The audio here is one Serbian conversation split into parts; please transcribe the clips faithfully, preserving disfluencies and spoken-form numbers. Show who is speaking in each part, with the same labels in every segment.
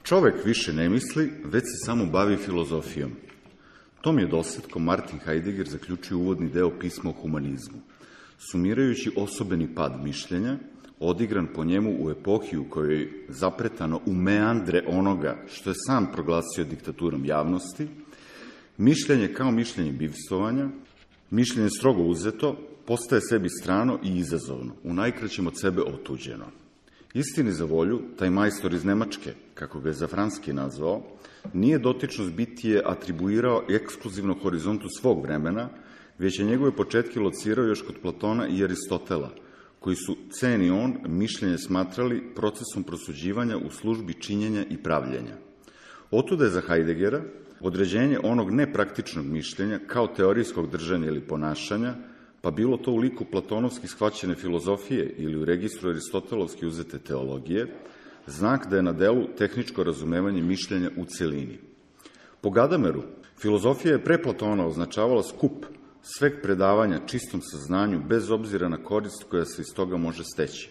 Speaker 1: Čovek više ne misli, već se samo bavi filozofijom. Tom je dosetkom Martin Heidegger zaključio uvodni deo pisma o humanizmu, sumirajući osobeni pad mišljenja, odigran po njemu u epohi u kojoj je zapretano u meandre onoga što je sam proglasio diktaturom javnosti, mišljenje kao mišljenje bivstvovanja, mišljenje strogo uzeto, postaje sebi strano i izazovno, u najkraćem od sebe otuđeno. Istini za volju, taj majstor iz Nemačke, kako ga je Zafranski nazvao, nije dotičnost bitije atribuirao ekskluzivno horizontu svog vremena, već je njegove početke locirao još kod Platona i Aristotela, koji su, ceni on, mišljenje smatrali procesom prosuđivanja u službi činjenja i pravljenja. Otuda je za Heideggera određenje onog nepraktičnog mišljenja kao teorijskog držanja ili ponašanja, pa bilo to u liku platonovski shvaćene filozofije ili u registru aristotelovski uzete teologije, znak da je na delu tehničko razumevanje mišljenja u celini. Po Gadameru, filozofija je pre Platona označavala skup sveg predavanja čistom saznanju bez obzira na korist koja se iz toga može steći,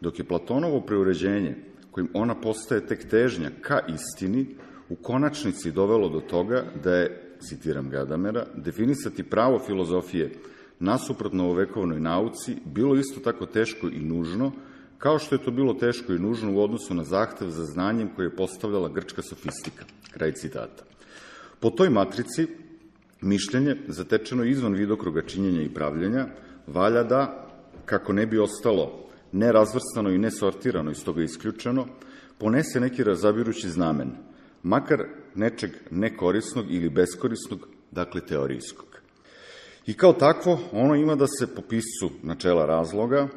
Speaker 1: dok je Platonovo preuređenje, kojim ona postaje tek težnja ka istini, u konačnici dovelo do toga da je, citiram Gadamera, definisati pravo filozofije nasuprot novovekovnoj nauci bilo isto tako teško i nužno, kao što je to bilo teško i nužno u odnosu na zahtev za znanjem koje je postavljala grčka sofistika. Kraj citata. Po toj matrici, mišljenje, zatečeno izvan vidokruga činjenja i pravljenja, valja da, kako ne bi ostalo nerazvrstano i nesortirano, iz toga isključeno, ponese neki razabirući znamen, makar nečeg nekorisnog ili beskorisnog, dakle teorijskog. I kao takvo, ono ima da se po piscu načela razloga,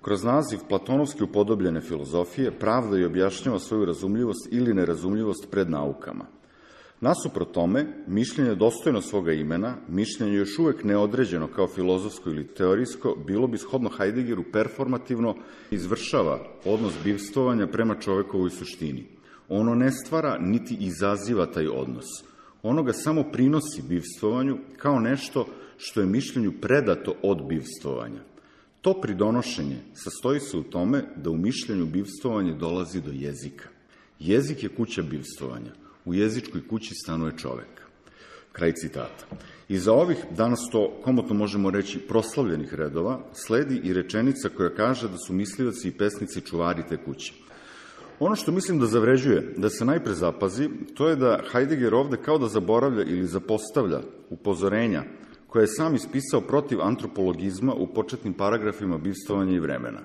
Speaker 1: kroz naziv platonovski upodobljene filozofije, pravda i objašnjava svoju razumljivost ili nerazumljivost pred naukama. Nasuprot tome, mišljenje dostojno svoga imena, mišljenje još uvek neodređeno kao filozofsko ili teorijsko, bilo bi shodno Heideggeru performativno izvršava odnos bivstvovanja prema čovekovoj suštini. Ono ne stvara niti izaziva taj odnos. Ono ga samo prinosi bivstvovanju kao nešto što je mišljenju predato od bivstvovanja. To pridonošenje sastoji se u tome da u mišljenju bivstvovanje dolazi do jezika. Jezik je kuća bivstvovanja. U jezičkoj kući stanuje čovek. Kraj citata. Iza ovih, danas to komotno možemo reći, proslavljenih redova, sledi i rečenica koja kaže da su mislioci i pesnici čuvari te kuće. Ono što mislim da zavređuje, da se najpre zapazi, to je da Heidegger ovde kao da zaboravlja ili zapostavlja upozorenja koje je sam ispisao protiv antropologizma u početnim paragrafima bivstvovanja i vremena.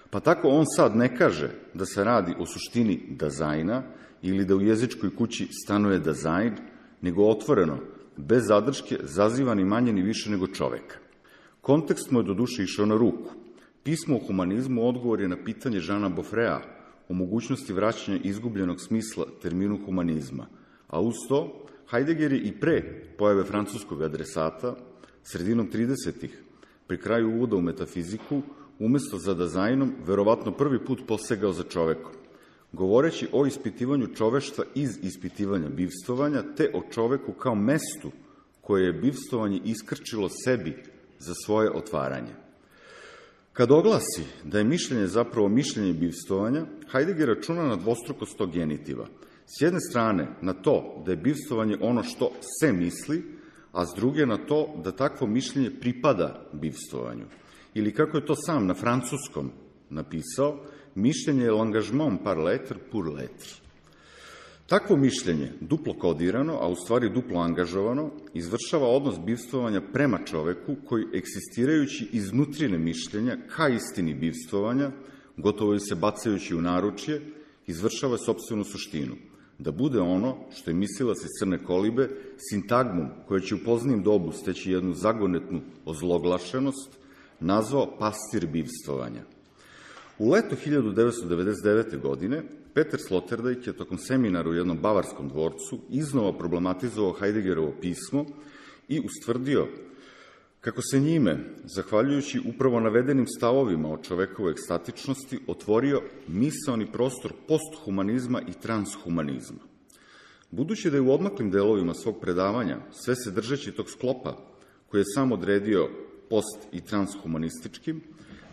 Speaker 1: Pa tako on sad ne kaže da se radi o suštini dazajna ili da u jezičkoj kući stanuje dazajn, nego otvoreno, bez zadrške, zaziva ni manje ni više nego čoveka. Kontekst mu je do duše išao na ruku. Pismo o humanizmu odgovor je na pitanje Žana Bofrea o mogućnosti vraćanja izgubljenog smisla terminu humanizma, a uz to Heidegger je i pre pojave francuskog adresata, sredinom tridesetih, pri kraju uvoda u metafiziku, umesto za dazajnom, verovatno prvi put posegao za čovekom, govoreći o ispitivanju čoveštva iz ispitivanja bivstvovanja, te o čoveku kao mestu koje je bivstvovanje iskrčilo sebi za svoje otvaranje. Kad oglasi da je mišljenje zapravo mišljenje bivstvovanja, Heidegger računa na dvostrukost tog genitiva. S jedne strane na to da je bivstvovanje ono što se misli, a s druge na to da takvo mišljenje pripada bivstvovanju. Ili kako je to sam na francuskom napisao, mišljenje je l'engagement par l'être pour l'être. Takvo mišljenje, duplo kodirano, a u stvari duplo angažovano, izvršava odnos bivstvovanja prema čoveku koji, eksistirajući iznutrine mišljenja ka istini bivstvovanja, gotovo i se bacajući u naručje, izvršava sopstvenu suštinu, da bude ono što je mislilac iz Crne kolibe, sintagmom koja će u poznijem dobu steći jednu zagonetnu ozloglašenost, nazvao pastir bivstvovanja. U leto hiljadu devetsto devedeset devete. godine Peter Sloterdijk je tokom seminara u jednom bavarskom dvorcu iznova problematizovao Heideggerovo pismo i ustvrdio kako se njime, zahvaljujući upravo navedenim stavovima o čovekovoj ekstatičnosti, otvorio misaoni prostor posthumanizma i transhumanizma. Budući da je u odmaklim delovima svog predavanja, sve se držeći tog sklopa koji je sam odredio post- i transhumanističkim,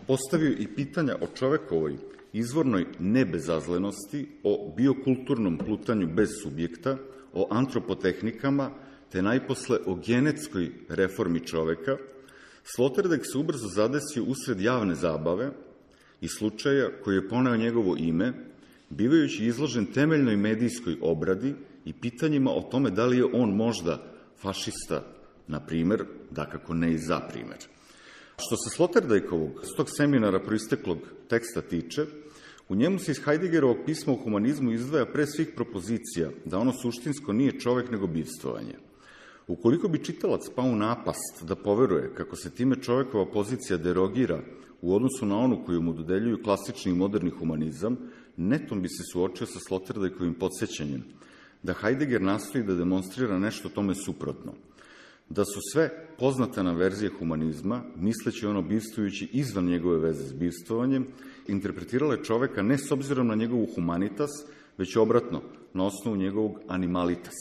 Speaker 1: postavio i pitanja o čovekovoj izvornoj nebezazlenosti, o biokulturnom plutanju bez subjekta, o antropotehnikama, te najposle o genetskoj reformi čoveka, Sloterdijk se ubrzo zadesio usred javne zabave i slučaja koji je poneo njegovo ime, bivajući izložen temeljnoj medijskoj obradi i pitanjima o tome da li je on možda fašista, na primer, dakako ne i za primer. Što se Sloterdijkovog, s tog seminara proisteklog teksta tiče, u njemu se iz Heideggerovog pisma o humanizmu izdvaja pre svih propozicija da ono suštinsko nije čovek nego bivstvovanje. Ukoliko bi čitalac pao u napast da poveruje kako se time čovekova pozicija derogira u odnosu na onu koju mu dodeljuju klasični i moderni humanizam, netom bi se suočio sa Sloterdijkovim podsjećanjem da Heidegger nastoji da demonstrira nešto tome suprotno, da su sve poznate nam verzije humanizma, misleći ono bivstvujući izvan njegove veze s bivstvovanjem, interpretirale čoveka ne s obzirom na njegovu humanitas, već obratno, na osnovu njegovog animalitas.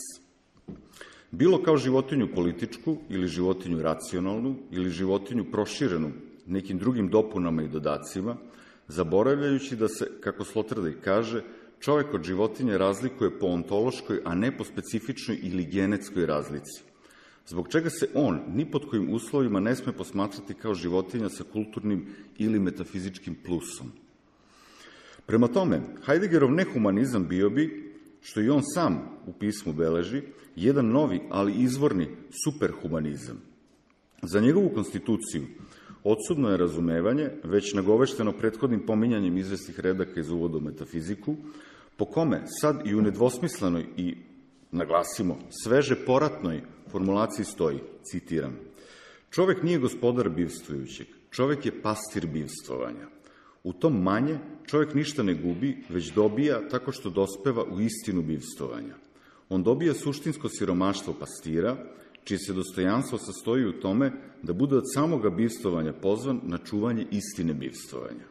Speaker 1: Bilo kao životinju političku ili životinju racionalnu ili životinju proširenu nekim drugim dopunama i dodacima, zaboravljajući da se, kako Sloterdijk kaže, čovek od životinje razlikuje po ontološkoj, a ne po specifičnoj ili genetskoj razlici, zbog čega se on ni pod kojim uslovima ne sme posmatrati kao životinja sa kulturnim ili metafizičkim plusom. Prema tome, Heideggerov nehumanizam bio bi, što i on sam u pismu beleži, jedan novi, ali izvorni superhumanizam. Za njegovu konstituciju odsudno je razumevanje, već nagovešteno prethodnim pominjanjem izvesnih redaka iz uvoda u metafiziku, po kome sad i u nedvosmislenoj i, naglasimo, sveže poratnoj formulaciji stoji, citiram, čovek nije gospodar bivstvujućeg, čovek je pastir bivstvovanja. U tom manje čovek ništa ne gubi, već dobija tako što dospeva u istinu bivstvovanja. On dobija suštinsko siromaštvo pastira, čije se dostojanstvo sastoji u tome da bude od samoga bivstvovanja pozvan na čuvanje istine bivstvovanja.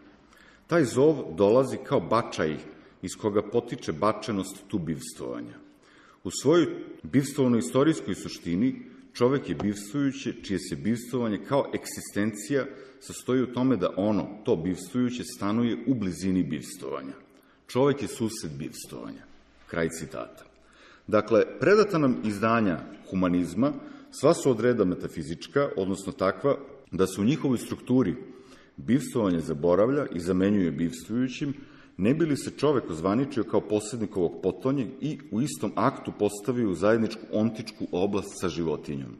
Speaker 1: Taj zov dolazi kao bačaj iz koga potiče bačenost tu bivstvovanja. U svojoj bivstvovno-istorijskoj suštini čovek je bivstvujuće, čije se bivstvovanje kao egzistencija sastoji u tome da ono, to bivstvujuće, stanuje u blizini bivstvovanja. Čovek je sused bivstvovanja. Kraj citata. Dakle, predata nam izdanja humanizma sva su od reda metafizička, odnosno takva da se u njihovoj strukturi bivstvovanje zaboravlja i zamenjuje bivstvujućim, ne bi li se čovek ozvaničio kao posrednik ovog potonje i u istom aktu postavio u zajedničku ontičku oblast sa životinjom.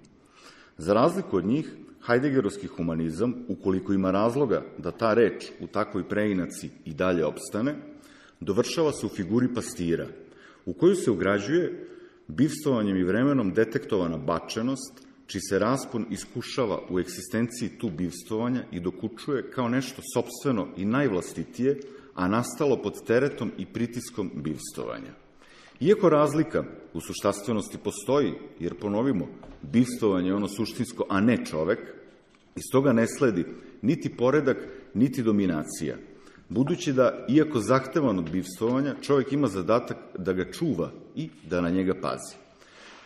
Speaker 1: Za razliku od njih, Heideggerovski humanizam, ukoliko ima razloga da ta reč u takvoj preinaci i dalje opstane, dovršava se u figuri pastira, u koju se ugrađuje bivstvovanjem i vremenom detektovana bačenost, čiji se raspon iskušava u egzistenciji tu bivstvovanja i dokučuje kao nešto sopstveno i najvlastitije, a nastalo pod teretom i pritiskom bivstvovanja. Iako razlika u suštastvenosti postoji, jer ponovimo, bivstvovanje je ono suštinsko, a ne čovek, iz toga ne sledi niti poredak, niti dominacija, budući da, iako zahtevan od bivstvovanja, čovek ima zadatak da ga čuva i da na njega pazi.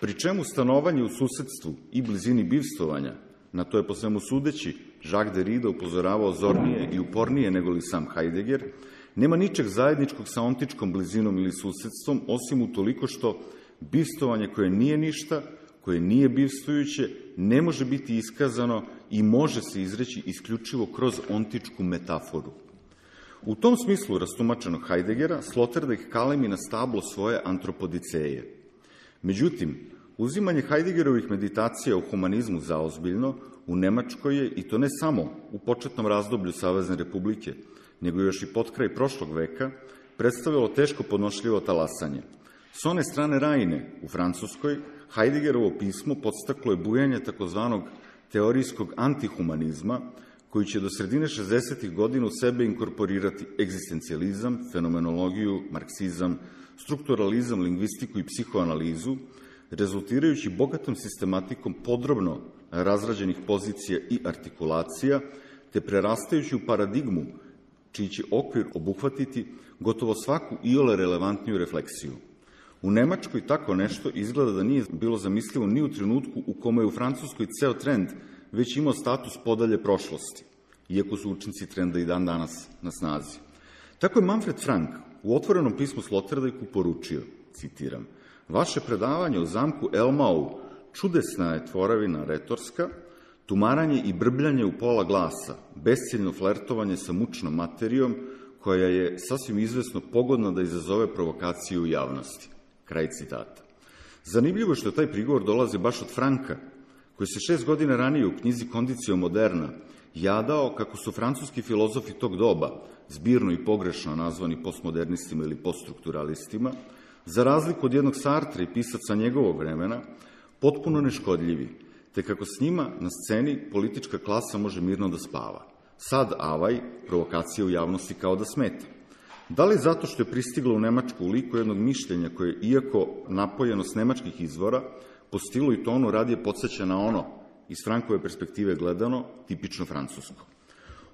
Speaker 1: Pri čemu stanovanje u susedstvu i blizini bivstvovanja, na to je po svemu sudeći Jacques Derrida upozoravao zornije i upornije nego li sam Heidegger, nema ničeg zajedničkog sa ontičkom blizinom ili susedstvom, osim utoliko što bivstvovanje koje nije ništa, koje nije bivstvujuće, ne može biti iskazano i može se izreći isključivo kroz ontičku metaforu. U tom smislu rastumačenog Heideggera, Sloterdijk kalemi na stablo svoje antropodiceje. Međutim, uzimanje Heideggerovih meditacija o humanizmu zaozbiljno u Nemačkoj je, i to ne samo u početnom razdoblju Savezne republike, nego još i potkraj prošlog veka, predstavljalo teško podnošljivo talasanje. S one strane Rajne, u Francuskoj, Heideggerovo pismo podstaklo je bujanje takozvanog teorijskog antihumanizma, koji će do sredine šezdesetih godina u sebe inkorporirati egzistencijalizam, fenomenologiju, marksizam, strukturalizam, lingvistiku i psihoanalizu, rezultirajući bogatom sistematikom podrobno razrađenih pozicija i artikulacija, te prerastajući u paradigmu čiji će okvir obuhvatiti gotovo svaku iole relevantniju refleksiju. U Nemačkoj tako nešto izgleda da nije bilo zamislivo ni u trenutku u kome je u Francuskoj ceo trend već imao status podalje prošlosti, iako su učinci trenda i dan danas na snazi. Tako je Manfred Frank u otvorenom pismu Sloterdijku poručio, citiram, vaše predavanje o zamku Elmau čudesna je tvoravina retorska, tumaranje i brbljanje u pola glasa, besciljno flertovanje sa mučnom materijom, koja je sasvim izvesno pogodna da izazove provokaciju u javnosti. Kraj citata. Zanimljivo je što taj prigovor dolazi baš od Franka, koji se šest godina ranije u knjizi Condicio Moderna jadao kako su francuski filozofi tog doba, zbirno i pogrešno nazvani postmodernistima ili poststrukturalistima, za razliku od jednog Sartra i pisaca njegovog vremena, potpuno neškodljivi, te kako s njima na sceni politička klasa može mirno da spava. Sad avaj, provokacija u javnosti kao da smeta. Da li zato što je pristiglo u Nemačku u liku jednog mišljenja koje, iako napojeno s nemačkih izvora, po stilu i tonu radije podsjeća na ono, iz Frankove perspektive gledano, tipično francusko.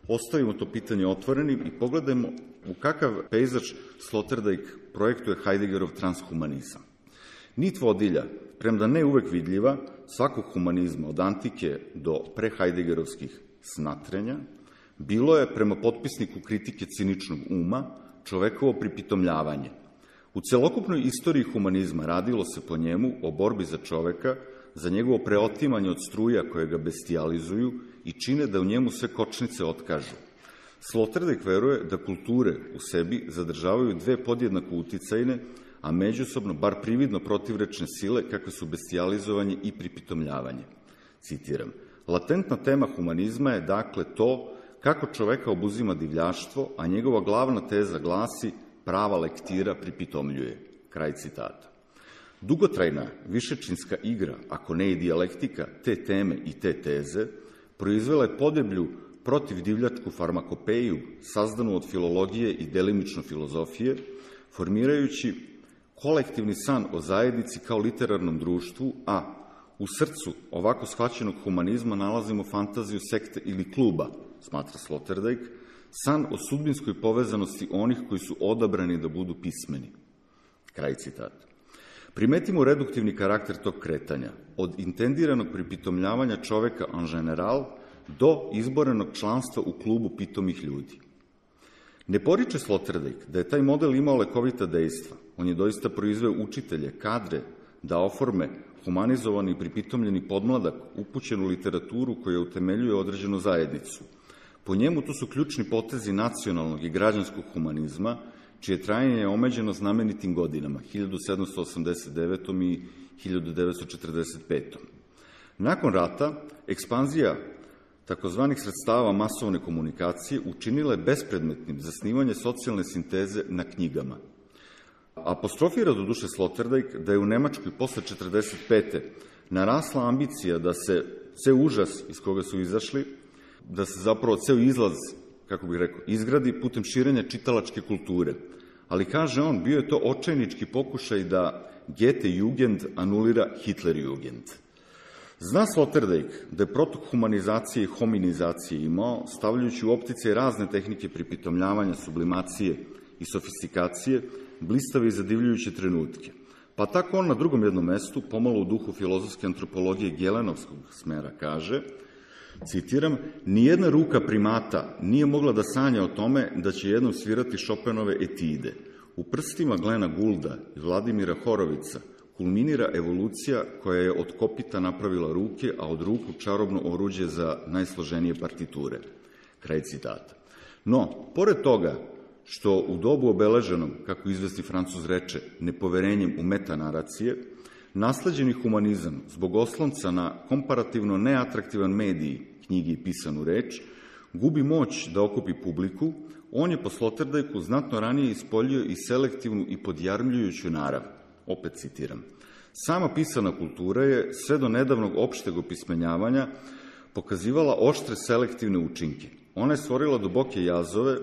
Speaker 1: Ostavimo to pitanje otvorenim i pogledajmo u kakav pejzaž Sloterdijk projektuje Heideggerov transhumanizam. Nit vodilja, premda ne uvek vidljiva, svakog humanizma od antike do prehajdegerovskih snatrenja, bilo je, prema potpisniku kritike ciničnog uma, čovekovo pripitomljavanje. U celokupnoj istoriji humanizma radilo se po njemu o borbi za čoveka, za njegovo preotimanje od struja koje ga bestializuju i čine da u njemu sve kočnice otkažu. Sloterdijk veruje da kulture u sebi zadržavaju dve podjednako uticajne, a međusobno, bar prividno protivrečne sile, kakve su bestializovanje i pripitomljavanje. Citiram, latentna tema humanizma je dakle to kako čoveka obuzima divljaštvo, a njegova glavna teza glasi prava lektira pripitomljuje. Kraj citata. Dugotrajna višečinska igra, ako ne i dijalektika, te teme i te teze, proizvela je podeblju protivdivljačku farmakopeju, sazdanu od filologije i delimično filozofije, formirajući kolektivni san o zajednici kao literarnom društvu, a u srcu ovako shvaćenog humanizma nalazimo fantaziju sekte ili kluba, smatra Sloterdijk, san o sudbinskoj povezanosti onih koji su odabrani da budu pismeni. Kraj citata. Primetimo reduktivni karakter tog kretanja, od intendiranog pripitomljavanja čoveka en general do izborenog članstva u klubu pitomih ljudi. Ne poriče Sloterdijk da je taj model imao lekovita dejstva. On je doista proizveo učitelje, kadre, da oforme humanizovani i pripitomljeni podmladak upućen u literaturu koja utemeljuje određenu zajednicu. Po njemu to su ključni potezi nacionalnog i građanskog humanizma, čije trajanje je omeđeno znamenitim godinama, hiljadu sedamsto osamdeset devetom i hiljadu devetsto četrdeset petom Nakon rata, ekspanzija takozvanih sredstava masovne komunikacije učinila je bespredmetnim zasnivanje socijalne sinteze na knjigama. Apostrofira do duše Sloterdijk da je u Nemačkoj posle četrdeset pete narasla ambicija da se ceo užas iz koga su izašli, da se zapravo ceo izlaz, kako bih rekao, izgradi putem širenja čitalačke kulture. Ali, kaže on, bio je to očajnički pokušaj da Goethe Jugend anulira Hitler Jugend. Zna Sloterdijk da je protok humanizacije i hominizacije imao, stavljajući u optice razne tehnike pripitomljavanja, sublimacije i sofistikacije, blistave i zadivljujuće trenutke. Pa tako on na drugom jednom mestu, pomalo u duhu filozofske antropologije Gelenovskog smera, kaže, citiram, nijedna ruka primata nije mogla da sanja o tome da će jednom svirati Chopinove etide. U prstima Glena Goulda i Vladimira Horovica kulminira evolucija koja je od kopita napravila ruke, a od ruku čarobno oruđe za najsloženije partiture. Kraj citata. No, pored toga što u dobu obeleženom, kako izvesni Francuz reče, nepoverenjem u metanaracije, nasleđeni humanizam zbog oslonca na komparativno neatraktivan medij, knjigi i pisanu reč, gubi moć da okupi publiku, on je po Sloterdijku znatno ranije ispoljio i selektivnu i podjarmljujuću narav. Opet citiram. Sama pisana kultura je, sve do nedavnog opšteg opismenjavanja, pokazivala oštre selektivne učinke. Ona je stvorila duboke jazove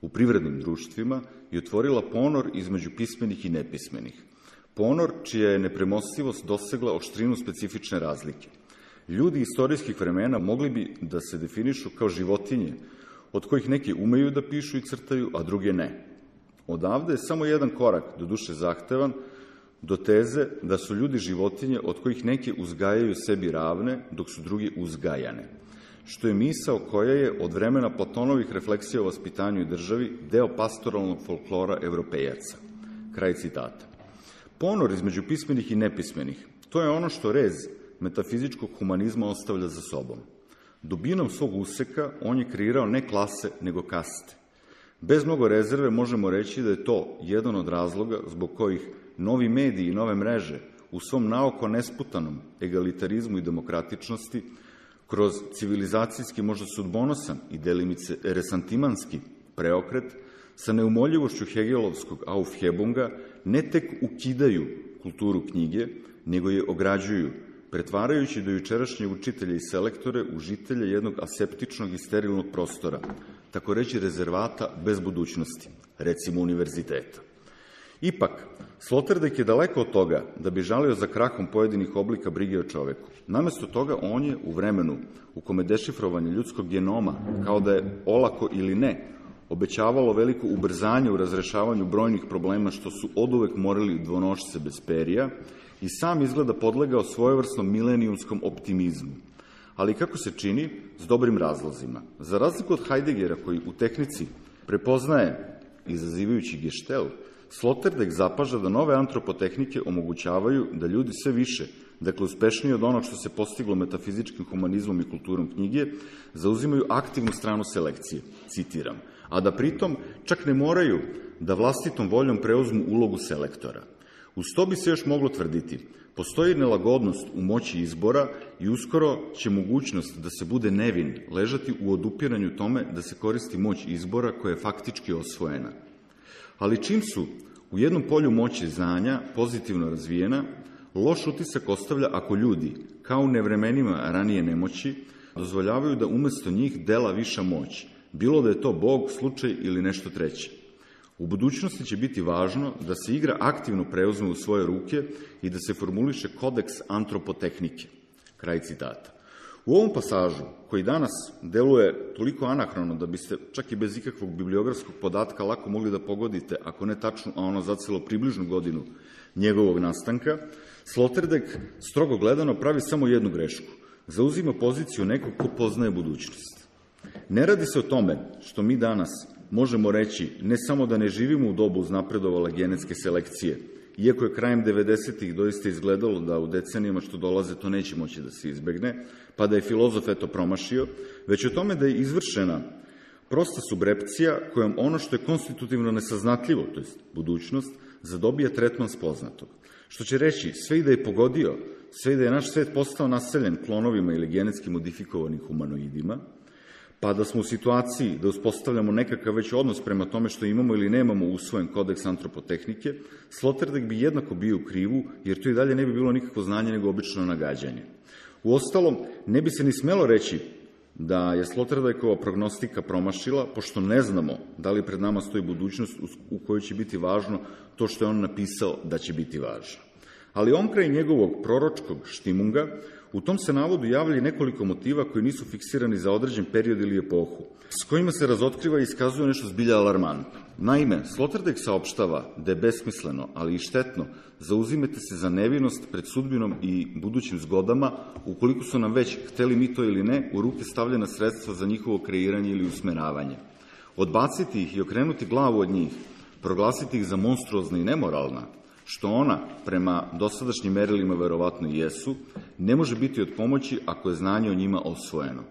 Speaker 1: u privrednim društvima i otvorila ponor između pismenih i nepismenih. Ponor čija je nepremostivost dosegla oštrinu specifične razlike. Ljudi istorijskih vremena mogli bi da se definišu kao životinje, od kojih neki umeju da pišu i crtaju, a druge ne. Odavde je samo jedan korak, do duše zahtevan, do teze da su ljudi životinje od kojih neke uzgajaju sebi ravne, dok su drugi uzgajane. što je misao koja je od vremena Platonovih refleksija o vaspitanju i državi deo pastoralnog folklora evropejaca. Kraj citata. Ponor između pismenih i nepismenih, to je ono što rez metafizičkog humanizma ostavlja za sobom. Dubinom svog useka on je kreirao ne klase, nego kaste. Bez mnogo rezerve možemo reći da je to jedan od razloga zbog kojih novi mediji i nove mreže u svom naoko nesputanom egalitarizmu i demokratičnosti kroz civilizacijski, možda sudbonosan i delimice resantimanski preokret sa neumoljivošću hegelovskog Aufhebunga ne tek ukidaju kulturu knjige, nego je ograđuju, pretvarajući do jučerašnje učitelje i selektore u žitelje jednog aseptičnog i sterilnog prostora, tako reći rezervata bez budućnosti, recimo univerziteta. Ipak, Sloterdijk je daleko od toga da bi žalio za krahom pojedinih oblika brige o čoveku. Namesto toga, on je u vremenu u kome dešifrovanje ljudskog genoma, kao da je olako ili ne, obećavalo veliko ubrzanje u razrešavanju brojnih problema što su oduvek morali dvonošce bez perija, i sam izgleda podlegao svojevrsnom milenijumskom optimizmu. Ali kako se čini, s dobrim razlozima. Za razliku od Heideggera, koji u tehnici prepoznaje, izazivajući geštel, Sloterdijk zapaža da nove antropotehnike omogućavaju da ljudi sve više, dakle uspešniji od onog što se postiglo metafizičkim humanizmom i kulturom knjige, zauzimaju aktivnu stranu selekcije, citiram, a da pritom čak ne moraju da vlastitom voljom preuzmu ulogu selektora. Uz to bi se još moglo tvrditi, postoji nelagodnost u moći izbora i uskoro će mogućnost da se bude nevin ležati u odupiranju tome da se koristi moć izbora koja je faktički osvojena. Ali čim su u jednom polju moći znanja pozitivno razvijena, loš utisak ostavlja ako ljudi, kao u nevremenima ranije nemoći, dozvoljavaju da umesto njih dela viša moć, bilo da je to Bog, slučaj ili nešto treće. U budućnosti će biti važno da se igra aktivno preuzme u svoje ruke i da se formuliše kodeks antropotehnike. Kraj citata. U ovom pasažu, koji danas deluje toliko anahrono da biste čak i bez ikakvog bibliografskog podatka lako mogli da pogodite, ako ne tačno, a ono zacelo približnu godinu njegovog nastanka, Sloterdijk, strogo gledano, pravi samo jednu grešku. Zauzima poziciju nekog ko poznaje budućnost. Ne radi se o tome što mi danas možemo reći ne samo da ne živimo u dobu uznapredovale genetske selekcije, iako je krajem devedesetih doista izgledalo da u decenijama što dolaze to neće moći da se izbegne, pa da je filozof eto promašio, već o tome da je izvršena prosta subrepcija kojom ono što je konstitutivno nesaznatljivo, to je budućnost, zadobija tretman spoznatog. Što će reći, sve i da je pogodio, sve i da je naš svet postao naseljen klonovima ili genetski modifikovanim humanoidima, pa da smo u situaciji da uspostavljamo nekakav već odnos prema tome što imamo ili nemamo usvojen kodeks antropotehnike, Sloterdijk bi jednako bio u krivu, jer to i dalje ne bi bilo nikakvo znanje nego obično nagađanje. Uostalom, ne bi se ni smelo reći da je Sloterdijkova prognostika promašila, pošto ne znamo da li pred nama stoji budućnost u kojoj će biti važno to što je on napisao da će biti važno. Ali omkraj njegovog proročkog štimunga, u tom se navodu javlja nekoliko motiva koji nisu fiksirani za određen period ili epohu, s kojima se razotkriva i iskazuje nešto zbilja alarmantno. Naime, Sloterdijk saopštava da je besmisleno, ali i štetno, zauzimete se za nevinost pred sudbinom i budućim zgodama, ukoliko su nam već, hteli mi to ili ne, u ruke stavljena sredstva za njihovo kreiranje ili usmeravanje. Odbaciti ih i okrenuti glavu od njih, proglasiti ih za monstruozna i nemoralna, što ona, prema dosadašnjim merilima verovatno i jesu, ne može biti od pomoći ako je znanje o njima osvojeno.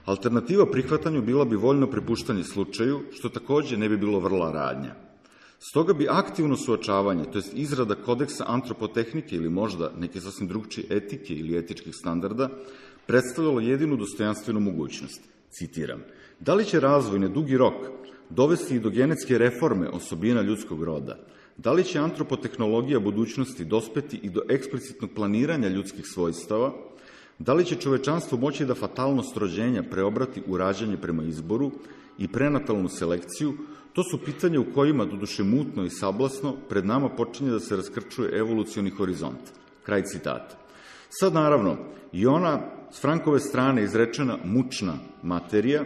Speaker 1: Alternativa prihvatanju bila bi voljno prepuštanje slučaju, što takođe ne bi bilo vrla radnja. Stoga bi aktivno suočavanje, to jest izrada kodeksa antropotehnike ili možda neke sasvim drugčije etike ili etičkih standarda, predstavljalo jedinu dostojanstvenu mogućnost. Citiram, da li će razvoj na dugi rok dovesti i do genetske reforme osobina ljudskog roda? Da li će antropotehnologija budućnosti dospeti i do eksplicitnog planiranja ljudskih svojstava? Da li će čovečanstvo moći da fatalnost rođenja preobrati u rađanje prema izboru i prenatalnu selekciju? To su pitanja u kojima, doduše mutno i sablasno, pred nama počinje da se raskrčuje evolucioni horizont. Kraj citata. Sad, naravno, i ona s Frankove strane izrečena mučna materija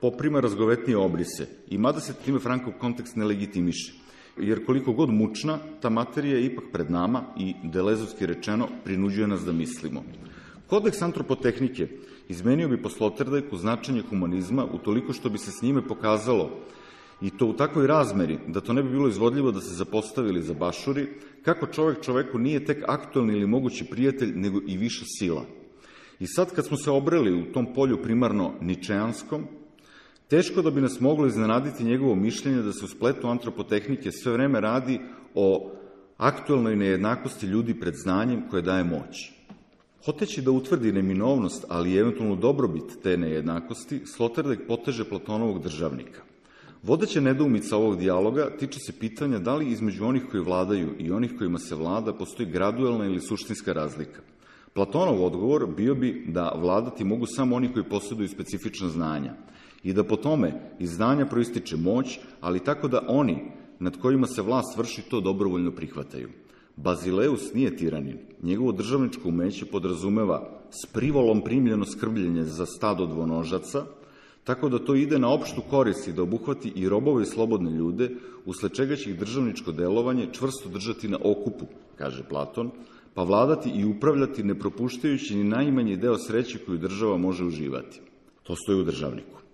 Speaker 1: poprima razgovetnije obrise i mada se time Frankov kontekst ne legitimiše. Jer koliko god mučna, ta materija je ipak pred nama i, delezovski rečeno, prinuđuje nas da mislimo. Kodeks antropotehnike izmenio bi po Sloterdijku značenje humanizma utoliko što bi se s njime pokazalo, i to u takvoj razmeri da to ne bi bilo izvodljivo da se zapostavi ili zabašuri, kako čovek čoveku nije tek aktuelni ili mogući prijatelj, nego i viša sila. I sad kad smo se obreli u tom polju primarno ničeanskom, teško da bi nas moglo iznenaditi njegovo mišljenje da se u spletu antropotehnike sve vreme radi o aktuelnoj nejednakosti ljudi pred znanjem koje daje moć. Hoteći da utvrdi neminovnost, ali i eventualnu dobrobit te nejednakosti, Sloterdijk poteže Platonovog državnika. Vodeća nedoumica ovog dijaloga tiče se pitanja da li između onih koji vladaju i onih kojima se vlada postoji gradualna ili suštinska razlika. Platonov odgovor bio bi da vladati mogu samo oni koji posjeduju specifična znanja i da po tome iz znanja proističe moć, ali tako da oni nad kojima se vlast vrši to dobrovoljno prihvataju. Bazileus nije tiranin. Njegovo državničko umeće podrazumeva s privolom primljeno skrbljenje za stado dvonožaca, tako da to ide na opštu korist i da obuhvati i robove i slobodne ljude, usled čega će ih državničko delovanje čvrsto držati na okupu, kaže Platon, pa vladati i upravljati ne propuštajući ni najmanji deo sreće koju država može uživati. To stoji u državniku.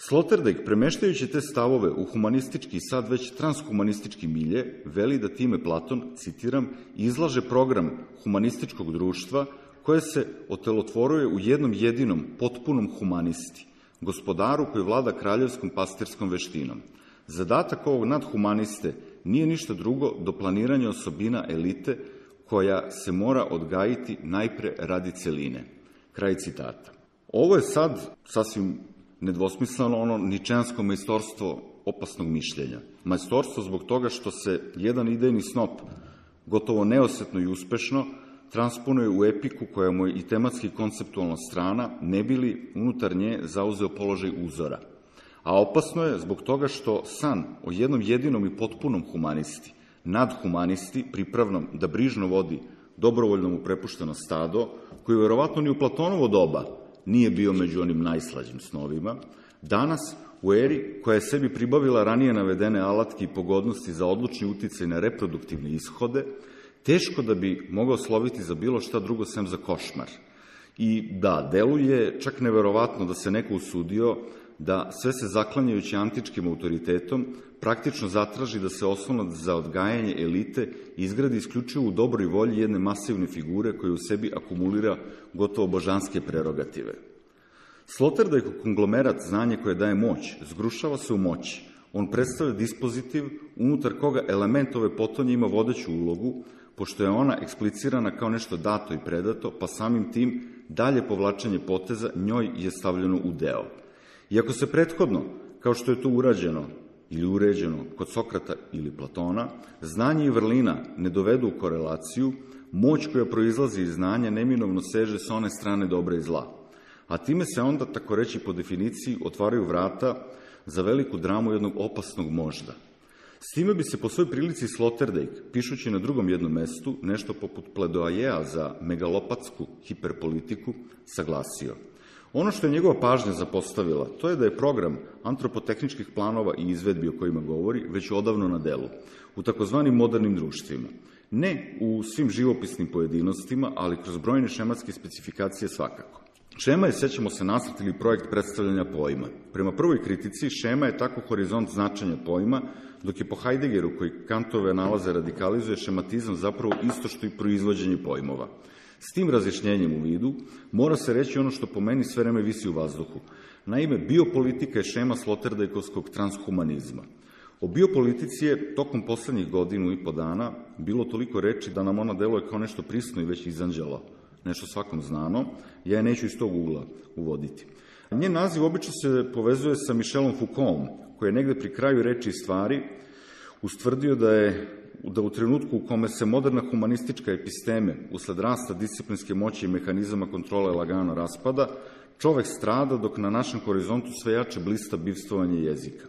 Speaker 1: Sloterdijk, premeštajući te stavove u humanistički i sad već transhumanistički milje, veli da time Platon, citiram, izlaže program humanističkog društva koje se otelotvoruje u jednom jedinom, potpunom humanisti, gospodaru koji vlada kraljevskom pastirskom veštinom. Zadatak ovog nadhumaniste nije ništa drugo do planiranja osobina elite koja se mora odgajiti najpre radi celine. Kraj citata. Ovo je sad sasvim nedvosmisleno ono ničeansko majstorstvo opasnog mišljenja. Majstorstvo zbog toga što se jedan idejni snop gotovo neosetno i uspešno transponuje u epiku koja mu je i tematski konceptualna strana, ne bi li unutar nje zauzeo položaj uzora. A opasno je zbog toga što san o jednom jedinom i potpunom humanisti, nadhumanisti, pripravnom da brižno vodi dobrovoljno mu prepušteno stado, koji verovatno ni u Platonovo doba nije bio među onim najslađim snovima, danas u eri koja je sebi pribavila ranije navedene alatke i pogodnosti za odlučni uticaj na reproduktivne ishode, teško da bi mogao sloviti za bilo šta drugo sem za košmar. I da, deluje čak neverovatno da se neko usudio da sve se zaklanjajući antičkim autoritetom praktično zatraži da se oslonac za odgajanje elite izgradi isključivo u dobroj volji jedne masivne figure koja u sebi akumulira gotovo božanske prerogative. Sloterdijkov konglomerat znanje koje daje moć zgrušava se u moći. On predstavlja dispozitiv unutar koga element ove potonje ima vodeću ulogu, pošto je ona eksplicirana kao nešto dato i predato, pa samim tim dalje povlačenje poteza njoj je stavljeno u deo. Iako se prethodno, kao što je to urađeno ili uređeno kod Sokrata ili Platona, znanje i vrlina ne dovedu u korelaciju, moć koja proizlazi iz znanja neminovno seže sa one strane dobra i zla. A time se onda, tako reći po definiciji, otvaraju vrata za veliku dramu jednog opasnog možda. S time bi se po svoj prilici Sloterdijk, pišući na drugom jednom mestu, nešto poput pledoajeja za megalopatsku hiperpolitiku, saglasio. Ono što je njegova pažnja zapostavila, to je da je program antropotehničkih planova i izvedbi o kojima govori već odavno na delu, u takozvanim modernim društvima. Ne u svim živopisnim pojedinostima, ali kroz brojne šematske specifikacije svakako. Šema je, sećamo se, nacrt ili projekt predstavljanja pojma. Prema prvoj kritici, šema je tako horizont značenja pojma, dok je po Heideggeru, koji Kantove nalaze radikalizuje, šematizam zapravo isto što i proizvođenje pojmova. S tim razjašnjenjem u vidu mora se reći ono što po meni sve vreme visi u vazduhu. Naime, biopolitika je šema sloterdijkovskog transhumanizma. O biopolitici je tokom poslednjih godinu i po dana bilo toliko reči da nam ona deluje kao nešto prisno i već izanđelo, nešto svakom znano, ja je neću iz tog ugla uvoditi. Njen naziv obično se povezuje sa Michelom Foucaultom, koji je negde pri kraju reči i stvari ustvrdio da je da u trenutku u kome se moderna humanistička episteme, usled rasta disciplinske moći i mehanizama kontrole lagano raspada, čovek strada dok na našem horizontu sve jače blista bivstvovanje jezika.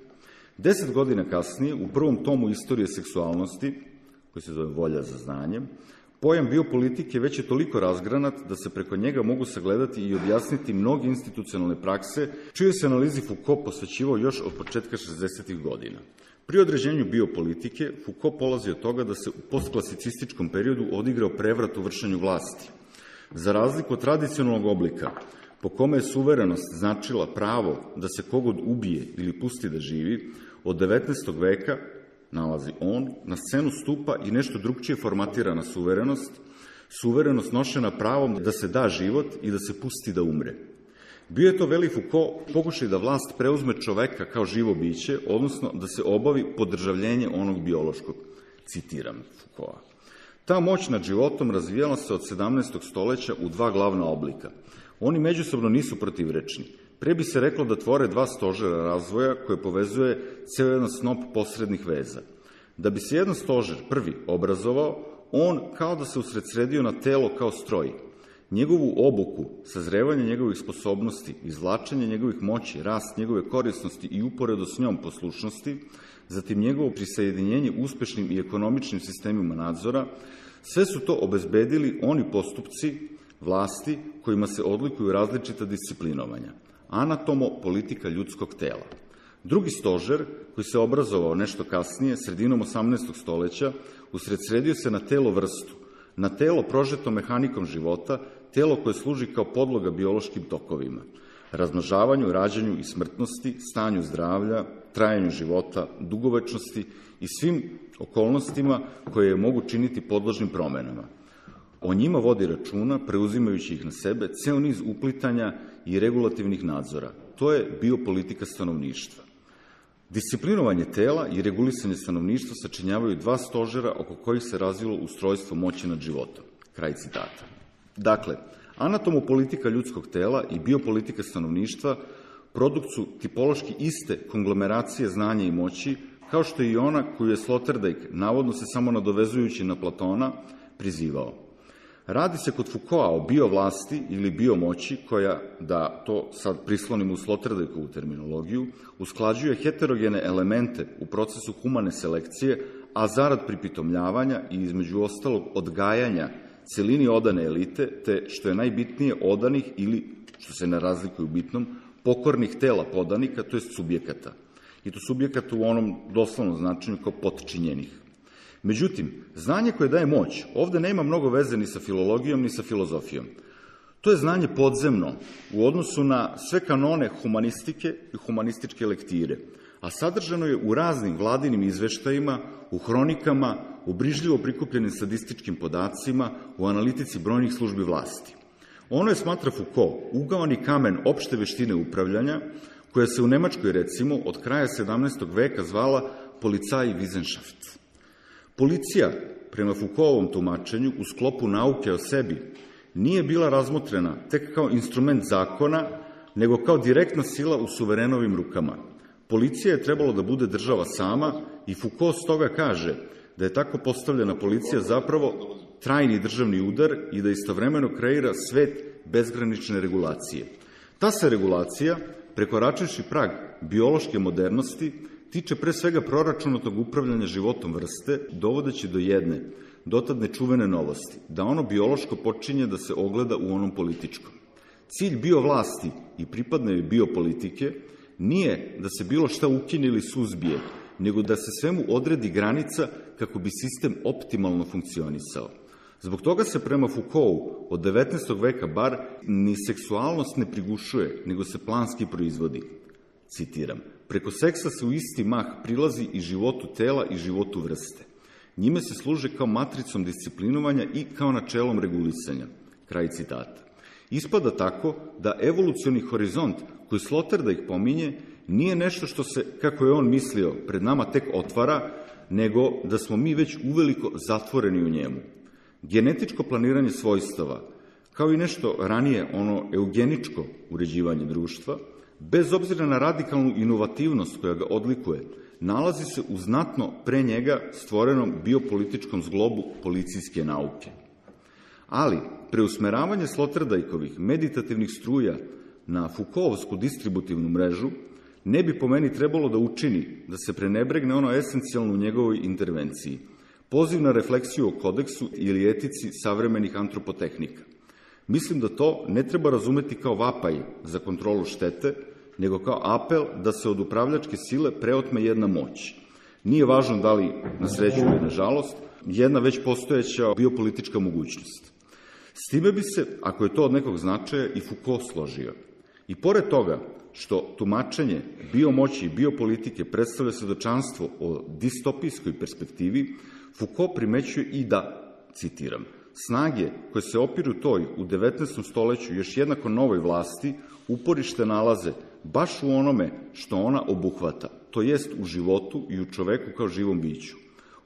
Speaker 1: Deset godina kasnije, u prvom tomu istorije seksualnosti, koji se zove Volja za znanjem, pojam biopolitike već je toliko razgranat da se preko njega mogu sagledati i objasniti mnoge institucionalne prakse, čijoj se analizi Foucault posvećivao još od početka šezdesetih godina. Pri određenju biopolitike, Foucault polazi od toga da se u postklasiциstičkom periodu odigrao prevrat u vršenju vlasti. Za razliku od tradicionalnog oblika, po kome je suverenost značila pravo da se kogod ubije ili pusti da živi, od devetnaestog veka, nalazi on, na scenu stupa i nešto drugčije formatirana suverenost, suverenost nošena pravom da se da život i da se pusti da umre. Bio je to, veli Foucault, pokušaj da vlast preuzme čoveka kao živo biće, odnosno da se obavi podržavljenje onog biološkog. Citiram Foucaulta. Ta moć nad životom razvijala se od sedamnaestog stoleća u dva glavna oblika. Oni međusobno nisu protivrečni. Pre bi se reklo da tvore dva stožera razvoja koje povezuje ceo jedan snop posrednih veza. Da bi se jedan stožer, prvi, obrazovao, on kao da se usredsredio na telo kao stroj. Njegovu obuku, sazrevanje njegovih sposobnosti, izvlačenje njegovih moći, rast njegove korisnosti i uporedo s njom poslušnosti, zatim njegovo prisajedinjenje uspešnim i ekonomičnim sistemima nadzora, sve su to obezbedili oni postupci vlasti kojima se odlikuju različita disciplinovanja. Anatomo, politika ljudskog tela. Drugi stožer, koji se obrazovao nešto kasnije, sredinom osamnaestog stoleća, usredsredio se na telo vrstu, na telo prožeto mehanikom života, telo koje služi kao podloga biološkim tokovima, razmnožavanju, rađanju i smrtnosti, stanju zdravlja, trajanju života, dugovečnosti i svim okolnostima koje je mogu činiti podložnim promenama. O njima vodi računa, preuzimajući ih na sebe, ceo niz uplitanja i regulativnih nadzora. To je biopolitika stanovništva. Disciplinovanje tela i regulisanje stanovništva sačinjavaju dva stožera oko kojih se razvilo ustrojstvo moći nad životom. Kraj citata. Dakle, anatomopolitika ljudskog tela i biopolitika stanovništva produkt su tipološki iste konglomeracije znanja i moći, kao što je i ona koju je Sloterdijk, navodno se samo nadovezujući na Platona, prizivao. Radi se kod Foucaulta o biovlasti ili biomoći koja, da to sad prislonimo u Sloterdijkovu terminologiju, usklađuje heterogene elemente u procesu humane selekcije, a zarad pripitomljavanja i između ostalog odgajanja celini odane elite, te, što je najbitnije, odanih ili, što se ne razlikuje u bitnom, pokornih tela podanika, to je subjekata. I to subjekata u onom doslovnom značenju kao potčinjenih. Međutim, znanje koje daje moć ovde nema mnogo veze ni sa filologijom, ni sa filozofijom. To je znanje podzemno u odnosu na sve kanone humanistike i humanističke lektire, a sadržano je u raznim vladinim izveštajima, u hronikama, u brižljivo prikupljenim statističkim podacima, u analitici brojnih službi vlasti. Ono je, smatra Foucault, ugaoni kamen opšte veštine upravljanja, koja se u Nemačkoj, recimo, od kraja sedamnaestog veka zvala Polizeiwissenschaft. Policija, prema Foucaultovom tumačenju, u sklopu nauke o sebi, nije bila razmotrena tek kao instrument zakona, nego kao direktna sila u suverenovim rukama. Policija je trebalo da bude država sama i Foucault stoga kaže da je tako postavljena policija zapravo trajni državni udar i da istovremeno kreira svet bezgranične regulacije. Ta se regulacija, prekoračivši prag biološke modernosti, tiče pre svega proračunatog upravljanja životom vrste, dovodeći do jedne, dotad nečuvene novosti, da ono biološko počinje da se ogleda u onom političkom. Cilj biovlasti i pripadne biopolitike nije da se bilo šta ukine ili suzbije, nego da se svemu odredi granica kako bi sistem optimalno funkcionisao. Zbog toga se prema Foucaultu od devetnaestog veka bar ni seksualnost ne prigušuje, nego se planski proizvodi. Citiram, preko seksa se u isti mah prilazi i životu tela i životu vrste. Njime se služe kao matricom disciplinovanja i kao načelom regulisanja. Kraj citata. Ispada tako da evolucioni horizont koji Sloterdijk pominje nije nešto što se, kako je on mislio, pred nama tek otvara, nego da smo mi već uveliko zatvoreni u njemu. Genetičko planiranje svojstava, kao i nešto ranije ono eugeničko uređivanje društva, bez obzira na radikalnu inovativnost koja ga odlikuje, nalazi se u znatno pre njega stvorenom biopolitičkom zglobu policijske nauke. Ali, preusmeravanje Sloterdijkovih meditativnih struja na Foucaultovsku distributivnu mrežu ne bi po meni trebalo da učini da se prenebregne ono esencijalno u njegovoj intervenciji, poziv na refleksiju o kodeksu ili etici savremenih antropotehnika. Mislim da to ne treba razumeti kao vapaj za kontrolu štete, nego kao apel da se od upravljačke sile preotme jedna moć. Nije važno da li, na sreću ili na žalost, jedna već postojeća biopolitička mogućnost. S time bi se, ako je to od nekog značaja, i Foucault složio. I pored toga što tumačenje biomoći i biopolitike predstavlja svedočanstvo o distopijskoj perspektivi, Foucault primećuje i da, citiram, snage koje se opiru toj u devetnaestom stoleću još jednako novoj vlasti uporište nalaze baš u onome što ona obuhvata, to jest u životu i u čoveku kao živom biću.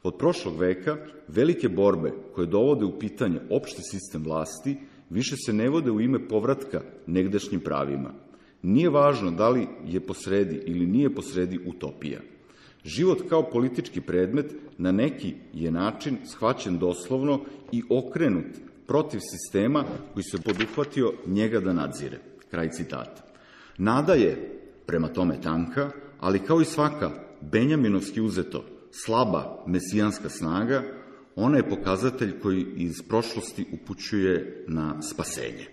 Speaker 1: Od prošlog veka velike borbe koje dovode u pitanje opšti sistem vlasti više se ne vode u ime povratka negdašnjim pravima. Nije važno da li je posredi ili nije posredi utopija. Život kao politički predmet na neki je način shvaćen doslovno i okrenut protiv sistema koji se poduhvatio njega da nadzire. Kraj citata. Nada je, prema tome, tanka, ali kao i svaka benjaminovski uzeto slaba mesijanska snaga, ona je pokazatelj koji iz prošlosti upućuje na spasenje.